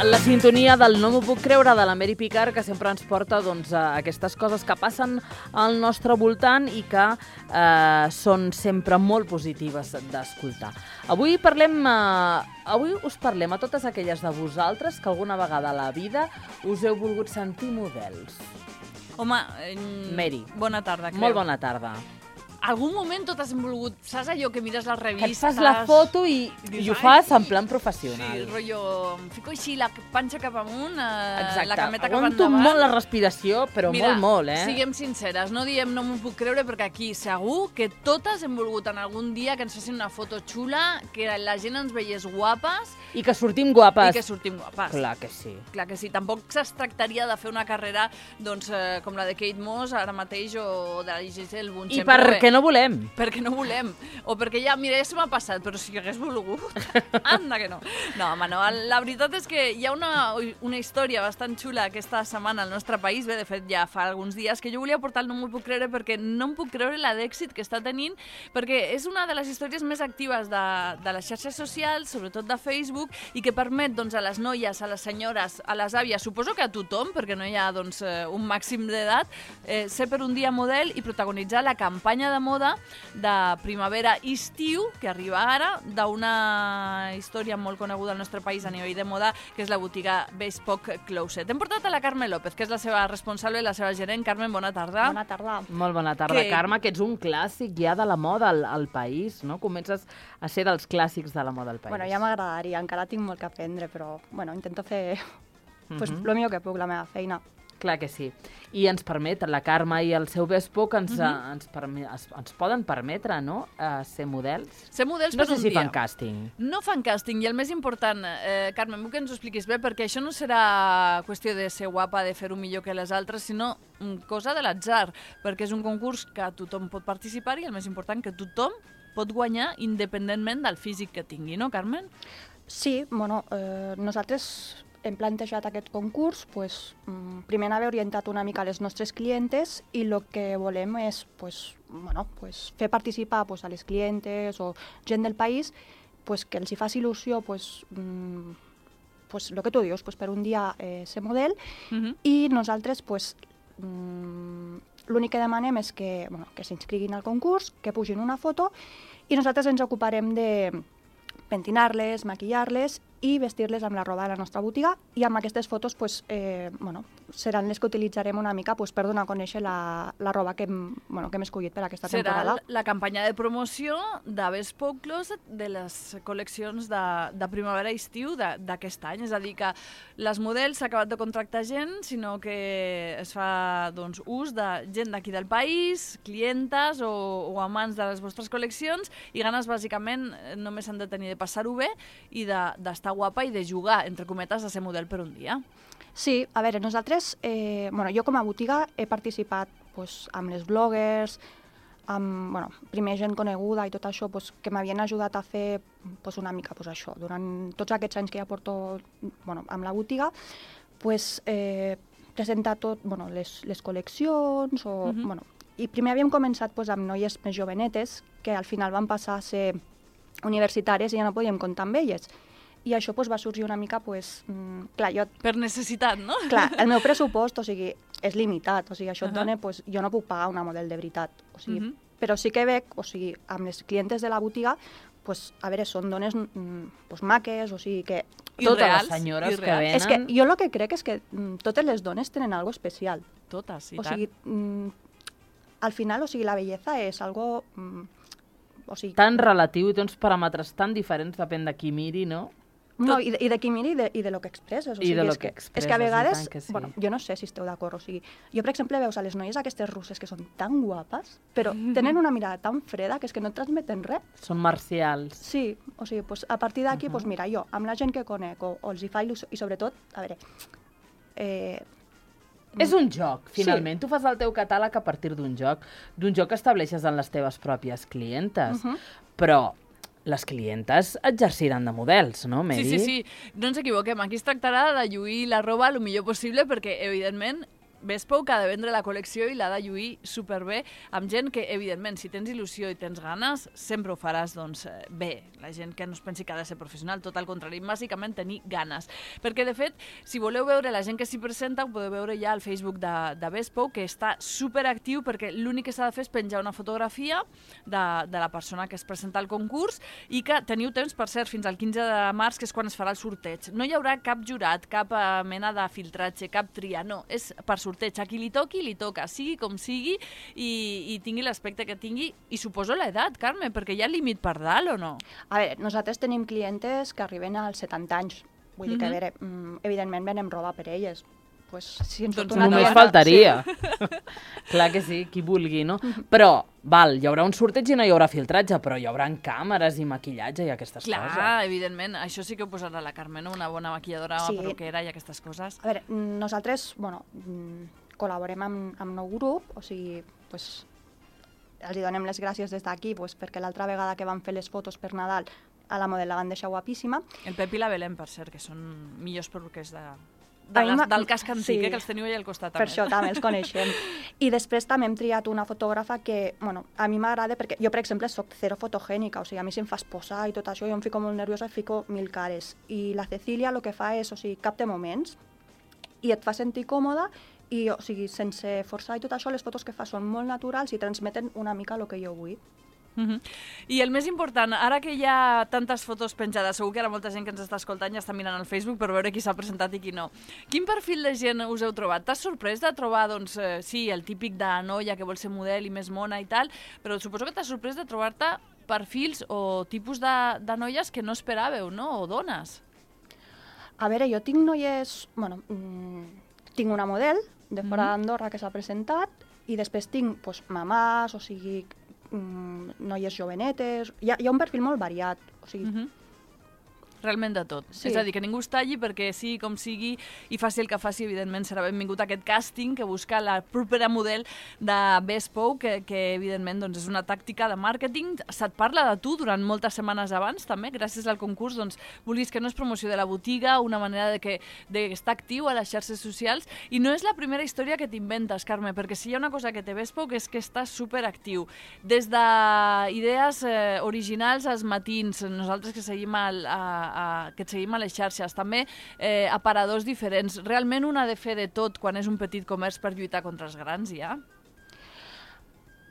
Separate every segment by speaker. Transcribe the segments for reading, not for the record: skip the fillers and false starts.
Speaker 1: La sintonia del No m'ho puc creure de la Mary Picard, que sempre ens porta a aquestes coses que passen al nostre voltant i que són sempre molt positives d'escoltar. Avui us parlem a totes aquelles de vosaltres que alguna vegada a la vida us heu volgut sentir models.
Speaker 2: Home,
Speaker 1: Mary.
Speaker 2: Bona tarda, creu.
Speaker 1: Molt bona tarda.
Speaker 2: Algun moment totes hem volgut... Saps allò que mires les revistes...
Speaker 1: Que et fas la foto i ho fas en plan professional.
Speaker 2: Sí, rotllo... Em fico així la panxa cap amunt,
Speaker 1: exacte.
Speaker 2: La cameta cap
Speaker 1: Aguanto
Speaker 2: endavant.
Speaker 1: molt la respiració, però
Speaker 2: mira,
Speaker 1: molt,
Speaker 2: siguem sinceres, no diem no m'ho puc creure, perquè aquí segur que totes hem volgut en algun dia que ens fessin una foto xula, que la gent ens veiés guapes...
Speaker 1: I que sortim guapes.
Speaker 2: I que sortim guapes.
Speaker 1: Clar que sí.
Speaker 2: Clar que sí. Tampoc es tractaria de fer una carrera com la de Kate Moss ara mateix o de la Giselle Bundchen.
Speaker 1: I perquè no volem.
Speaker 2: Perquè no volem. O perquè ja se m'ha passat, però si hagués volgut, anda que no. No, home, no. La veritat és que hi ha una història bastant xula aquesta setmana al nostre país, bé, de fet ja fa alguns dies, que jo volia portar el No m'ho puc creure perquè no em puc creure la d'èxit que està tenint, perquè és una de les històries més actives de les xarxes socials, sobretot de Facebook, i que permet a les noies, a les senyores, a les àvies, suposo que a tothom, perquè no hi ha un màxim d'edat, ser per un dia model i protagonitzar la campanya de moda de primavera-estiu, que arriba ara, d'una història molt coneguda al nostre país a nivell de moda, que és la botiga Bespoke Closet. Hem portat a la Carme López, que és la seva responsable i la seva gerent. Carmen, bona tarda.
Speaker 3: Bona tarda.
Speaker 1: Molt bona tarda, Carme, que ets un clàssic ja de la moda al país, no? Comences a ser dels clàssics de la moda al país.
Speaker 3: Bueno, ja m'agradaria, encara tinc molt que aprendre, però intento fer el millor que puc, la meva feina.
Speaker 1: Clar que sí. I ens permet, la Carme i el seu Bespoke ens poden permetre, no?, ser models.
Speaker 2: Ser models
Speaker 1: no
Speaker 2: per un dia.
Speaker 1: No sé si fan càsting.
Speaker 2: No fan càsting, i el més important, Carmen, vull que ens ho expliquis bé, perquè això no serà qüestió de ser guapa, de fer-ho millor que les altres, sinó cosa de l'atzar, perquè és un concurs que tothom pot participar i el més important, que tothom pot guanyar independentment del físic que tingui, no, Carmen?
Speaker 3: Sí, nosaltres hem plantejat aquest concurs, primer haver orientat una mica les nostres clientes i el que volem és fer participar a les clientes o gent del país que els hi faci il·lusió el que tu dius, per un dia ser model i nosaltres l'únic que demanem és que s'inscriguin al concurs, que pugin una foto i nosaltres ens ocuparem de pentinar-les, maquillar-les i vestir-les amb la roba de la nostra botiga i amb aquestes fotos seran les que utilitzarem una mica per donar a conèixer la roba que hem escollit per aquesta temporada.
Speaker 2: Serà la campanya de promoció de Bespoke Closet de les col·leccions de primavera-estiu d'aquest any. És a dir, que les models s'ha acabat de contractar gent, sinó que es fa ús de gent d'aquí del país, clientes o amants de les vostres col·leccions i ganes bàsicament només s'han de tenir de passar-ho bé i d'estar guapa i de jugar, entre cometes, a ser model per un dia.
Speaker 3: Sí, a veure, nosaltres, jo com a botiga he participat amb les bloggers, amb primer gent coneguda i tot això que m'havien ajudat a fer una mica això. Durant tots aquests anys que ja porto amb la botiga, presentar tot, les col·leccions, i primer havíem començat amb noies més jovenetes que al final van passar a ser universitàries i ja no podíem comptar amb elles. I això va sorgir una mica, clar, jo...
Speaker 2: Per necessitat, no?
Speaker 3: Clar, el meu pressupost, és limitat, això et dona, jo no puc pagar una model de veritat, però sí que veig, amb les clientes de la botiga, a veure, són dones maques, que...
Speaker 1: Totes les senyores que venen...
Speaker 3: És que jo el que crec és que totes les dones tenen algo especial.
Speaker 2: Totes, i tant.
Speaker 3: Al final, la bellesa és algo...
Speaker 1: tan relatiu i té uns paràmetres tan diferents, depèn de qui miri, no?
Speaker 3: No, i de qui miri i de lo que expresses. És que a vegades, jo no sé si esteu d'acord, jo per exemple veus a les noies aquestes russes que són tan guapes, però tenen una mirada tan freda que és que no transmeten res.
Speaker 1: Són marcials.
Speaker 3: Sí, a partir d'aquí, mira, jo, amb la gent que conec, o els hi fa il·lusió, i sobretot, a veure...
Speaker 1: És un joc, finalment. Tu fas el teu catàleg a partir d'un joc que estableixes en les teves pròpies clientes, però les clientes exerciran de models, no, Mary?
Speaker 2: Sí. No ens equivoquem. Aquí es tractarà de lluir la roba el millor possible perquè, evidentment, Bespoke ha de vendre la col·lecció i l'ha de lluir superbé amb gent que, evidentment, si tens il·lusió i tens ganes, sempre ho faràs doncs, bé. La gent que no es pensi que ha de ser professional, tot al contrari, bàsicament tenir ganes. Perquè, de fet, si voleu veure la gent que s'hi presenta, ho podeu veure ja al Facebook de Bespoke, que està superactiu perquè l'únic que s'ha de fer és penjar una fotografia de la persona que es presenta al concurs i que teniu temps, per cert, fins al 15 de març, que és quan es farà el sorteig. No hi haurà cap jurat, cap mena de filtratge, cap tria, no, és per sorteig. A qui li toqui, li toca, sigui com sigui i tingui l'aspecte que tingui. I suposo l'edat, Carme, perquè hi ha límit per dalt o no?
Speaker 3: A veure, nosaltres tenim clientes que arriben als 70 anys. Vull dir que, a veure, evidentment venem roba per elles. Pues, si ens
Speaker 1: doncs només faltaria. Sí. Clar que sí, qui vulgui, no? Però, val, hi haurà un sorteig i no hi haurà filtratge, però hi haurà càmeres i maquillatge i aquestes coses.
Speaker 2: Clar, evidentment, això sí que ho posarà la Carme, no? Una bona maquilladora, perruquera i aquestes coses.
Speaker 3: A veure, nosaltres, bueno, col·laborem amb nou grup, o sigui, pues, els donem les gràcies des d'aquí, pues, perquè l'altra vegada que van fer les fotos per Nadal a la model la van deixar guapíssima.
Speaker 2: El Pep i la Belén, per cert, que són millors perruquers del casc antic, que els teniu allà al costat.
Speaker 3: Per això també els coneixem. I després també hem triat una fotògrafa que, bueno, a mi m'agrada perquè jo, per exemple, soc zero fotogènica, o sigui, a mi si em fas posar i tot això, jo em fico molt nerviosa i fico 1000 cares. I la Cecília el que fa és, o sigui, capta moments i et fa sentir còmoda i, o sigui, sense forçar i tot això, les fotos que fa són molt naturals i transmeten una mica el que jo vull.
Speaker 2: I el més important, ara que hi ha tantes fotos penjades, segur que ara molta gent que ens està escoltant ja està mirant al Facebook per veure qui s'ha presentat i qui no. Quin perfil de gent us heu trobat? T'has sorprès de trobar, doncs, sí, el típic de noia que vol ser model i més mona i tal, però suposo que t'has sorprès de trobar-te perfils o tipus de noies que no esperàveu, no? O dones.
Speaker 3: A veure, jo tinc noies... Bueno, tinc una model de fora d'Andorra que s'ha presentat i després tinc pues, mamàs, o sigui... noies jovenetes, hi ha un perfil molt variat, o sigui...
Speaker 2: Realment de tot. Sí. És a dir, que ningú es talli perquè sigui com sigui i faci el que faci, evidentment serà benvingut aquest càsting que busca la propera model de Bespoke, que evidentment doncs, és una tàctica de màrqueting. Se't parla de tu durant moltes setmanes abans, també, gràcies al concurs, doncs, vulguis que no és promoció de la botiga, una manera d'estar actiu a les xarxes socials, i no és la primera història que t'inventes, Carme, perquè si hi ha una cosa que té Bespoke és que està superactiu. Des d'idees originals als matins, nosaltres que seguim que et seguim a les xarxes, també aparadors diferents. Realment un ha de fer de tot quan és un petit comerç per lluitar contra els grans, ja?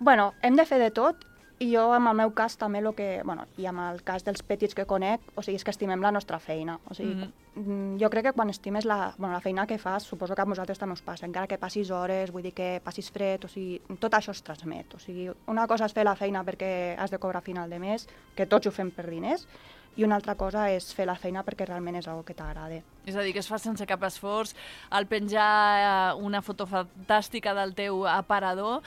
Speaker 3: Bueno, hem de fer de tot i jo, en el meu cas, també i amb el cas dels petits que conec, o sigui, és que estimem la nostra feina. O sigui, jo crec que quan estimes la feina que fas, suposo que a vosaltres també us passa, encara que passis hores, vull dir que passis fred, o sigui, tot això es transmet. O sigui, una cosa és fer la feina perquè has de cobrar a final de mes, que tots ho fem per diners, i una altra cosa és fer la feina perquè realment és una cosa que t'agrada.
Speaker 2: És a dir, que es fa sense cap esforç, al penjar una foto fantàstica del teu aparador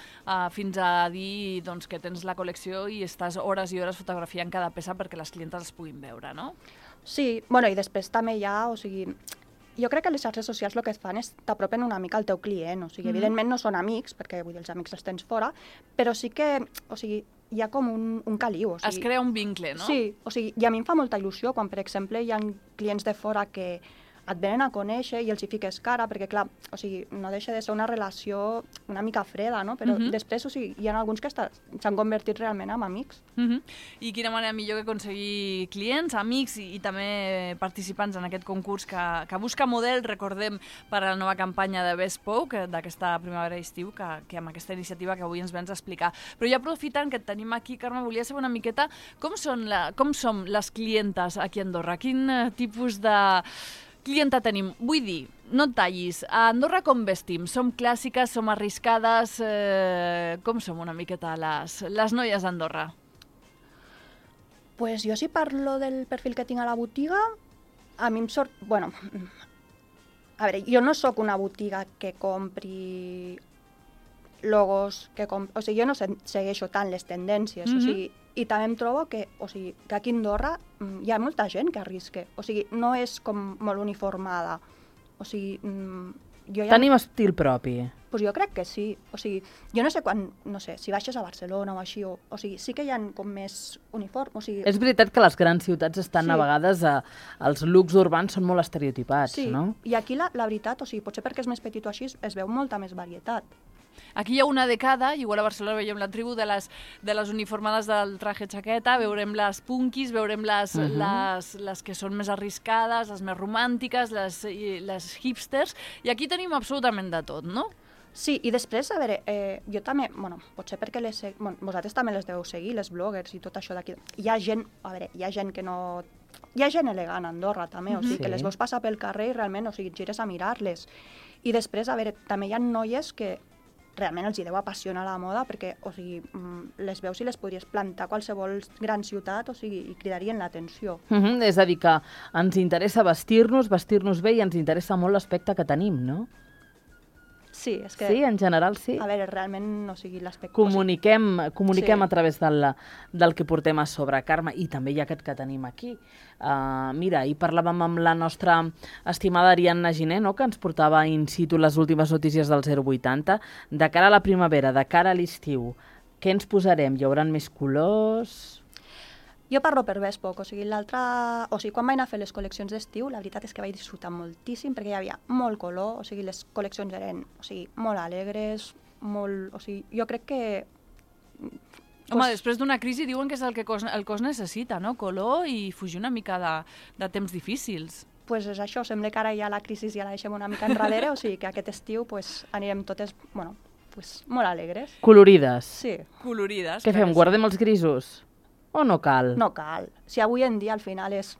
Speaker 2: fins a dir doncs, que tens la col·lecció i estàs hores i hores fotografiant cada peça perquè les clientes els puguin veure, no?
Speaker 3: Sí, bueno, i després també hi ha, o sigui, jo crec que les xarxes socials el que et fan és t'apropen una mica al teu client, o sigui, evidentment no són amics, perquè vull dir, els amics els tens fora, però sí que, o sigui, hi ha com un caliu. O sigui,
Speaker 2: es crea un vincle, no?
Speaker 3: Sí, o sigui, i a mi em fa molta il·lusió quan, per exemple, hi ha clients de fora que et venen a conèixer i els hi fiques cara, perquè, clar, o sigui, no deixa de ser una relació una mica freda, no? Però després, o sigui, hi ha alguns que s'han convertit realment en amics.
Speaker 2: I quina manera millor que aconseguir clients, amics i també participants en aquest concurs que busca model, recordem, per a la nova campanya de Bespoke, d'aquesta primavera-estiu, que amb aquesta iniciativa que avui ens vens a explicar. Però ja aprofitant que et tenim aquí, Carme, volia saber una miqueta com som les clientes aquí a Andorra? Quin tipus de clienta tenim? Vull dir, no et tallis. A Andorra com vestim? Som clàssiques, som arriscades? Com som una miqueta les noies d'Andorra?
Speaker 3: Pues jo si parlo del perfil que tinc a la botiga, a mi em sort... Bueno, a veure, jo no sóc una botiga que compri logos, o sigui, jo no segueixo tant les tendències, o sigui, i també em trobo que aquí a Andorra hi ha molta gent que arrisca, o sigui, no és com molt uniformada, o sigui, jo ja...
Speaker 1: Tenim estil propi.
Speaker 3: Pues jo crec que sí. O sigui, jo no sé quan, no sé, si baixes a Barcelona o així, o sigui, sí que hi ha com més uniform, o sigui...
Speaker 1: És veritat que les grans ciutats estan
Speaker 3: Sí.
Speaker 1: a vegades, els looks urbans són molt estereotipats,
Speaker 3: Sí,
Speaker 1: no?
Speaker 3: i aquí la veritat, o sigui, potser perquè és més petit o així, es veu molta més varietat.
Speaker 2: Aquí hi ha una de cada, igual a Barcelona veiem la tribu de les uniformades del traje xaqueta, veurem les punkis, veurem les que són més arriscades, les més romàntiques, les hipsters, i aquí tenim absolutament de tot, no?
Speaker 3: Sí, i després, a veure, jo també, bueno, potser perquè vosaltres també les deveu seguir, les bloggers i tot això d'aquí. Hi ha gent, a veure, hi ha gent que no... Hi ha gent elegant a Andorra, també, o sigui,
Speaker 1: Sí.
Speaker 3: que les veus passar pel carrer i realment, o sigui, gires a mirar-les. I després, a veure, també hi ha noies que realment els hi deu apassionar la moda perquè, o sigui, les veus i les podries plantar a qualsevol gran ciutat, o sigui, i cridarien l'atenció.
Speaker 1: És a dir, que ens interessa vestir-nos bé i ens interessa molt l'aspecte que tenim, no?
Speaker 3: Sí, és que...
Speaker 1: Sí, en general sí.
Speaker 3: A veure, realment, o sigui, l'aspecte...
Speaker 1: Comuniquem
Speaker 3: Sí.
Speaker 1: a través del que portem a sobre, Carme, i també hi ha aquest que tenim aquí. Mira, ahir parlàvem amb la nostra estimada Ariadna Giner, no?, que ens portava in situ les últimes notícies del 080. De cara a la primavera, de cara a l'estiu, què ens posarem? Hi haurà més colors?
Speaker 3: Jo parlo per Bespoc, o sigui, quan vaig anar a fer les col·leccions d'estiu, la veritat és que vaig disfrutar moltíssim perquè hi havia molt color, o sigui, les col·leccions eren, o sigui, molt alegres, molt... O sigui, jo crec que...
Speaker 2: Home, després d'una crisi diuen que és el que el cos necessita, no? Color i fugir una mica de temps difícils.
Speaker 3: Pues és això, sembla que ara ja la crisi ja la deixem una mica enrere, o sigui que aquest estiu pues, anirem totes, bueno, pues, molt alegres.
Speaker 1: Colorides.
Speaker 3: Sí.
Speaker 2: Colorides.
Speaker 1: Què fem, guardem els grisos? O no cal?
Speaker 3: No cal. Si avui en dia al final és...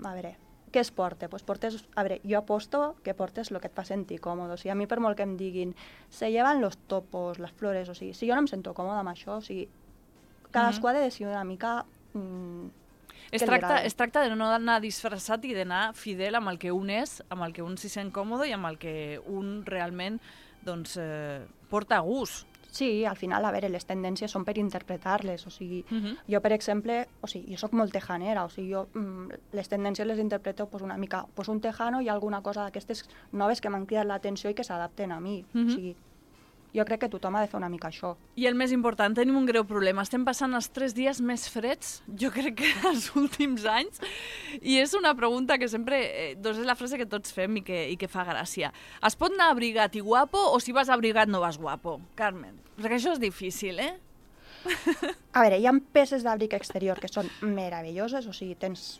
Speaker 3: A veure, què es porta? Pues portes... A veure, jo aposto que portes el que et fa sentir còmode. O sigui, a mi per molt que em diguin se llevan los topos, les flores, o sigui, si jo no em sento còmode amb això, o sigui, cadascú ha de decidir una mica...
Speaker 2: Es tracta de no anar disfressat i d'anar fidel amb el que un és, amb el que un s'hi sent còmode i amb el que un realment doncs, porta a gust.
Speaker 3: Sí, al final, a veure, les tendències són per interpretar-les, o sigui, jo, per exemple, o sigui, jo sóc molt tejanera, o sigui, jo les tendències les interpreto pues, una mica, pues, un tejano i alguna cosa d'aquestes noves que m'han cridat l'atenció i que s'adapten a mi, o sigui, jo crec que tothom ha de fer una mica això.
Speaker 2: I el més important, tenim un greu problema. Estem passant els 3 dies més freds, jo crec que els últims anys, i és una pregunta que sempre, doncs és la frase que tots fem i que fa gràcia. Es pot anar abrigat i guapo o si vas abrigat no vas guapo? Carmen, perquè això és difícil, eh?
Speaker 3: A veure, hi ha peces d'abric exterior que són meravelloses, o sigui, tens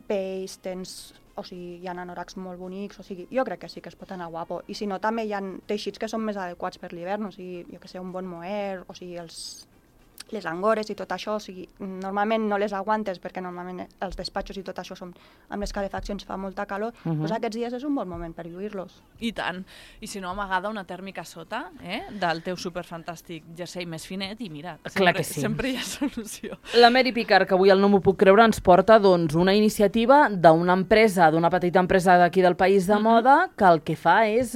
Speaker 3: pells, o sigui, hi ha anoracs molt bonics, o sigui, jo crec que sí que es pot anar guapo. I si no, també hi ha teixits que són més adequats per l'hivern, o sigui, jo que sé, un bon mohair, o sigui, les angores i tot això, o sigui, normalment no les aguantes perquè normalment els despatxos i tot això són amb les calefaccions fa molta calor, doncs aquests dies és un bon moment per lluir-los.
Speaker 2: I tant. I si no, amagada una tèrmica sota del teu superfantàstic jersei més finet i mira, sempre hi ha solució.
Speaker 1: La Mary Picard, que avui el No m'ho puc creure, ens porta doncs, una iniciativa d'una empresa, d'una petita empresa d'aquí del país de moda, que el que fa és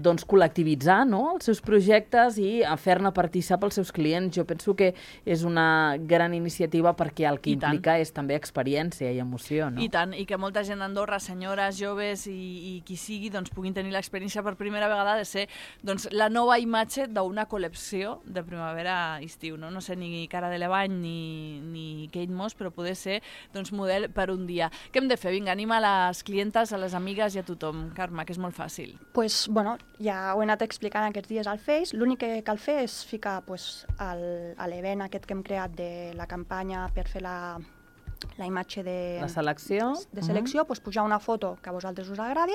Speaker 1: doncs, col·lectivitzar, no?, els seus projectes i fer-ne partícip els seus clients. Jo penso que és una gran iniciativa perquè el que implica és també experiència i emoció, no?
Speaker 2: I tant, i que molta gent d'Andorra, senyores, joves i qui sigui, doncs, puguin tenir l'experiència per primera vegada de ser doncs, la nova imatge d'una col·lecció de primavera-estiu. No sé, ni Cara Delevingne ni Kate Moss, però poder ser doncs, model per un dia. Què hem de fer? Vinga, anima les clientes, a les amigues i a tothom, Carme, que és molt fàcil.
Speaker 3: Pues, bueno, ja ho he anat explicant aquests dies al Face. L'únic que cal fer és ficar pues, a l'event aquest que hem creat de la campanya per fer la imatge de selecció, pues, pujar una foto que a vosaltres us agradi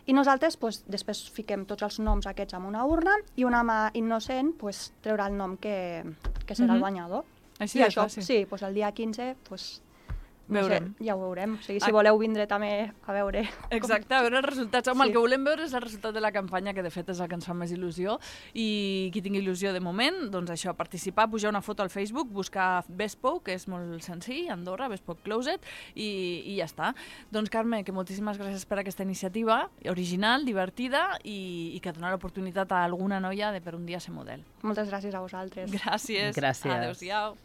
Speaker 3: i nosaltres pues, després fiquem tots els noms aquests en una urna i una mà innocent pues, treurà el nom que serà el guanyador.
Speaker 2: Així
Speaker 3: I
Speaker 2: de
Speaker 3: això,
Speaker 2: fàcil.
Speaker 3: sí, pues, el dia 15 pues, no sé, ja ho veurem. O sigui, si voleu vindre també a veure...
Speaker 2: Exacte, a veure els resultats. Home, el que volem veure és el resultat de la campanya, que de fet és el que ens fa més il·lusió. I qui tingui il·lusió de moment, doncs això, participar, pujar una foto al Facebook, buscar Bespoc, que és molt senzill, Andorra, Bespoc Closet, i ja està. Doncs, Carme, que moltíssimes gràcies per aquesta iniciativa, original, divertida, i que dona l'oportunitat a alguna noia de per un dia ser model.
Speaker 3: Moltes gràcies a vosaltres.
Speaker 2: Gràcies.
Speaker 1: Gràcies.
Speaker 2: Adéu-siau.